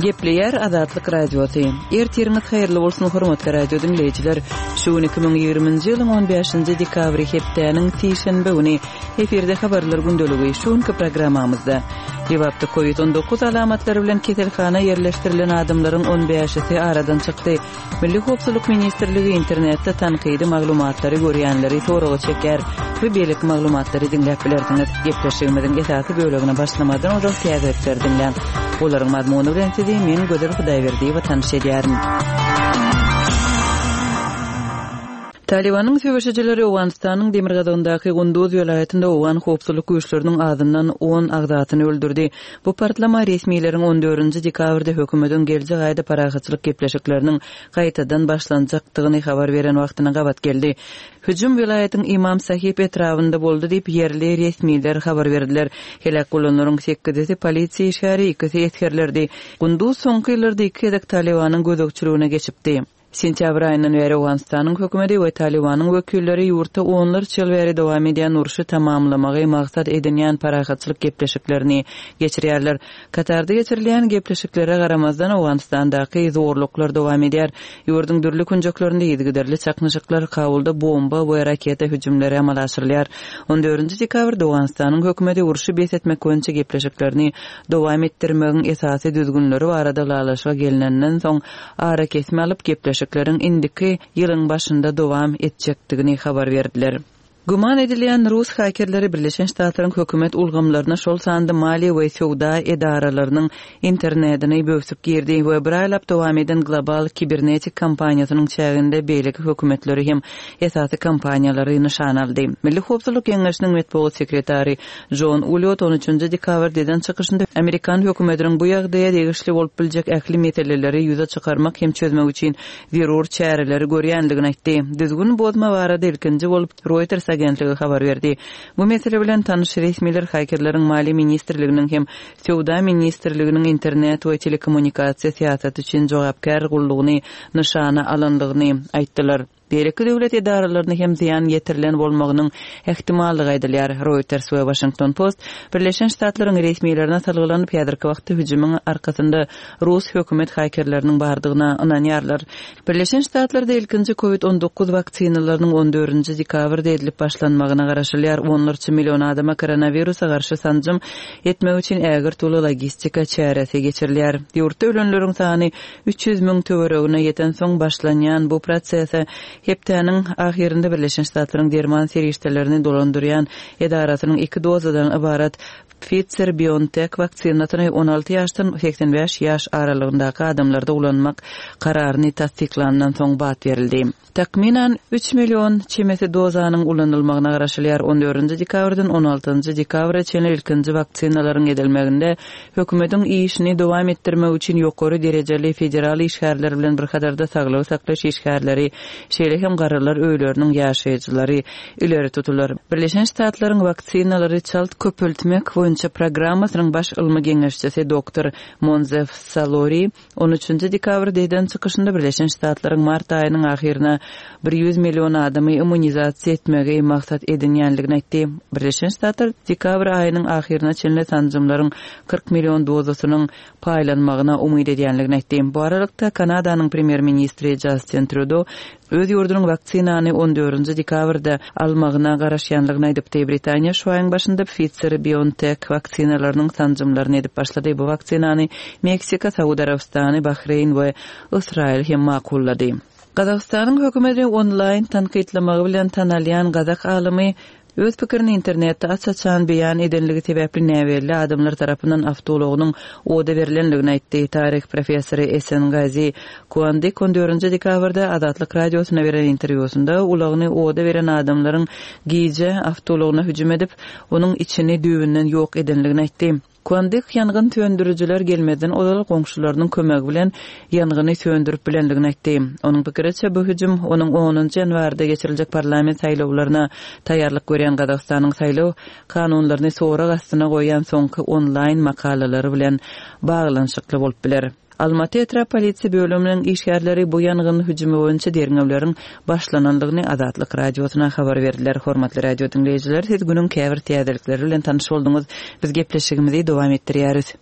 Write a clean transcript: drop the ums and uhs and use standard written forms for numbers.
Gepleýär Azatlyk Radiosy. Ertiriňiz haýyrly bolsun, hormatly radio diňleýjiler. Şu gün 2020-nji ýylyň 15-nji dekabry hepdäniň sişenbe güni. Efirde habarlar gündeligi. Şu günki programmamyzda Lebapda Covid 19 alamatlary bilen keselhana ýerleşdirilen adamlaryň on bäşisi aradan çykdy. Milli howpsuzlyk ministrligi internetde tankydy maglumatlary görýänleri soraga çekýär we beýleki maglumatlary diňläp bilersiňiz. Gepleşigimiziň esasy bölegine başlamazdan ozal täzelikleri diňläň. Olaryň mazmuny bilen sizi men Gözel Hudaýberdiýewa tanyş edýärin. Talybanyň söweşijileri Owganystanyň demirgazygyndaky Gunduz welaýatynda owgan howpsuzlyk güýçleriniň azyndan on agzasyny öldürdi. Bu partlama resmileriň on dördünji dekabrda hökümetiň geljek aýda parahatçylyk gepleşikleriniň gaýtadan başlanjakdygyny habar beren wagtyna gabat geldi. Hüjüm welaýatyň Imam Sahib etrabynda boldy diýip, ýerli resmiler habar berdiler. Heläk bolanlaryň sekizisi polisiýa işgäri, ikisi esgerlerdi. Gunduz soňky ýyllarda iki gezek Talybanyň gözegçiligine geçipdi. Sentýabr aýyndan bäri Owganystanyň hökümeti we Talybanyň wekilleri ýurtda onlarça ýyl bäri dowam edýän urşy tamamlamagy maksat edinýän parahatçylyk gepleşiklerini geçirýärler. Katarda geçirilýän gepleşiklere garamazdan, Owganystandaky zorluklar dowam edýär. Ýurduň dürli künjeklerinde yzygiderli çaknyşyklar, Kabulda bomba we raketa hüjümleri amala aşyrylýar. On dördünji dekabrda Owganystanyň hökümeti urşy bes etmek boýunça gepleşiklerini dowam etdirmegiň esasy düzgünleri barada ylalaşyga gelnenden soň, arakesme alyp, gepleşikleriň indiki ýylyň başynda dowam etjekdigini habar berdiler. Güman edilýän rus hakerleri Birleşen Ştatlaryň hökümet ulgamlaryna, şol sanda maliýe we söwda edaralarynyň internetini böwsüp girdi we bir aýlap dowam eden global kibernetik kampaniýasynyň çäginde beýleki hökümetleri hem esasy kompaniýalary nyşana aldy. Milli howpsuzlyk geňeşiniň metbugat sekretary Jon Uliot on üçünji dekabrda eden çykyşynda amerikan hökümetiniň bu ýagdaýa degişli bolup biljek ähli meseleleri ýüze çykarmak hem çözmek üçin zerur çäreleri görýändigini aýtdy. Düzgün bozma barada ilkinji bolup Reuters agentligi habar berdi. Bu mesele bilen tanyş resmiler hakerleriň Maliýe ministrliginiň hem Söwda ministrliginiň internet we telekommunikasiýa syýasaty üçin jogapkär gullugyny nyşana alandygyny aýtdylar. Beýleki döwlet edaralaryna hem zyýan ýetirilen bolmagynyň ähtimallygy aýdylýar. Reuters we Washington Post Birleşen Ştatlaryň resmilerine salgylanyp, häzirki wagtda hüjümiň arkasynda rus hökümet hakerleriniň bardygyna ynanýarlar. Birleşen Ştatlarda ilkinji Covid 19 waksinalarynyň on dördünji dekabrda edilip başlanmagyna garaşylýar. Onlarça million adama koronawirusa garşy sanjym etmek üçin ägirt uly logistika çäresi geçirilýär. Ýurtda ölenleriň sany 300 töweregine ýetensoň başlanýan bu prosese hepdäniň ahyrynda Birleşen Ştatlaryň derman serişdelerini dolandyrýan edarasynyň iki dozadan ybarat Pfizer-BioNTech waksinasyny 16 ýaşdan 85 ýaş aralygyndaky adamlarda ulanmak kararyny tassyklandan soň bat berildi. Takmynan, üç million çemesi dozanyň ulanylmagyna garaşylýar. On dördünji dekabrdan on altynjy dekabra çenli ilkinji waksinalaryň edilmeginde hökümetiň işini dowam etdirmek üçin ýokary derejeli federal işgärler bilen bir hatarda saglygy saklaýyş işgärleri, şeýle hem garrylar öýleriniň ýaşaýjylary ileri tutular. Birleşen Ştatlaryň waksinalary çalt köpeltmek boýunça programmasynyň baş ylmy geňeşçisi doktor Monzef Salori On üçünji dekabrda eden çykyşynda Birleşen Ştatlaryň mart aýynyň ahyryna bir ýüz million adamy immunizasiýa etmegi maksat edinýändigini aýtdy. Birleşen Ştatlar dekabr aýynyň ahyryna çenli sanjymlaryň 40 million dozasynyň paýlanmagyna umyt edýändigini aýtdy. Bu aralykda, Kanadanyň premýer-ministri Jastin Trýudo öz ýurdunyň waksinany on dördünji dekabrda almagyna garaşýanlygyny aýdypdy. Britaniýa şu aýyň başynda Pfizer-BioNTech waksinalarynyň sanjymlaryny edip başlady. Bu waksinany Meksika, Saud Arabystany, Bahreýn we Ysraýyl hem makullady. Gazagystanyň hökümeti onlaýn tankytlamagy bilen tanalýan gazak alymy Öz pikirini internetde aç-açan beýan edenligi sebäpli näbelli adamlar tarapyndan awtoulagynyň oda berlendigini aýtdy. Taryh professory Esengazi Kuandyk on dördünji dekabrda Azatlyk Radiosyna beren interwýusynda ulagyny oda beren adamlaryň gije awtoulagyna hüjüm edip, onuň içini düýbünden ýok edenligini aýtdy. Kuandyk ýangyn söndürijiler gelmezden ozal goňşularynyň kömegi bilen ýangyny söndürip bilendigini aýtdy. Onuň pikiriçe, bu hüjüm onuň onunjy ýanwarda geçiriljek parlament saýlawlaryna taýýarlyk görýän Gazagystanyň saýlaw kanunlaryny sorag astyna goýýan soňky onlaýn makalalary bilen baglanyşykly bolup biler. Almaty etrap polisiýa bölüminiň işgärleri bu ýangyn hüjümi boýunça derňewleriň başlanandygyny Azatlyk Radiosyna habar berdiler. Hormatly radio diňleýjiler, siz günüň käbir täzelikleri bilen tanyş bolduňyz. Biz gepleşigimizi dowam etdirýäris.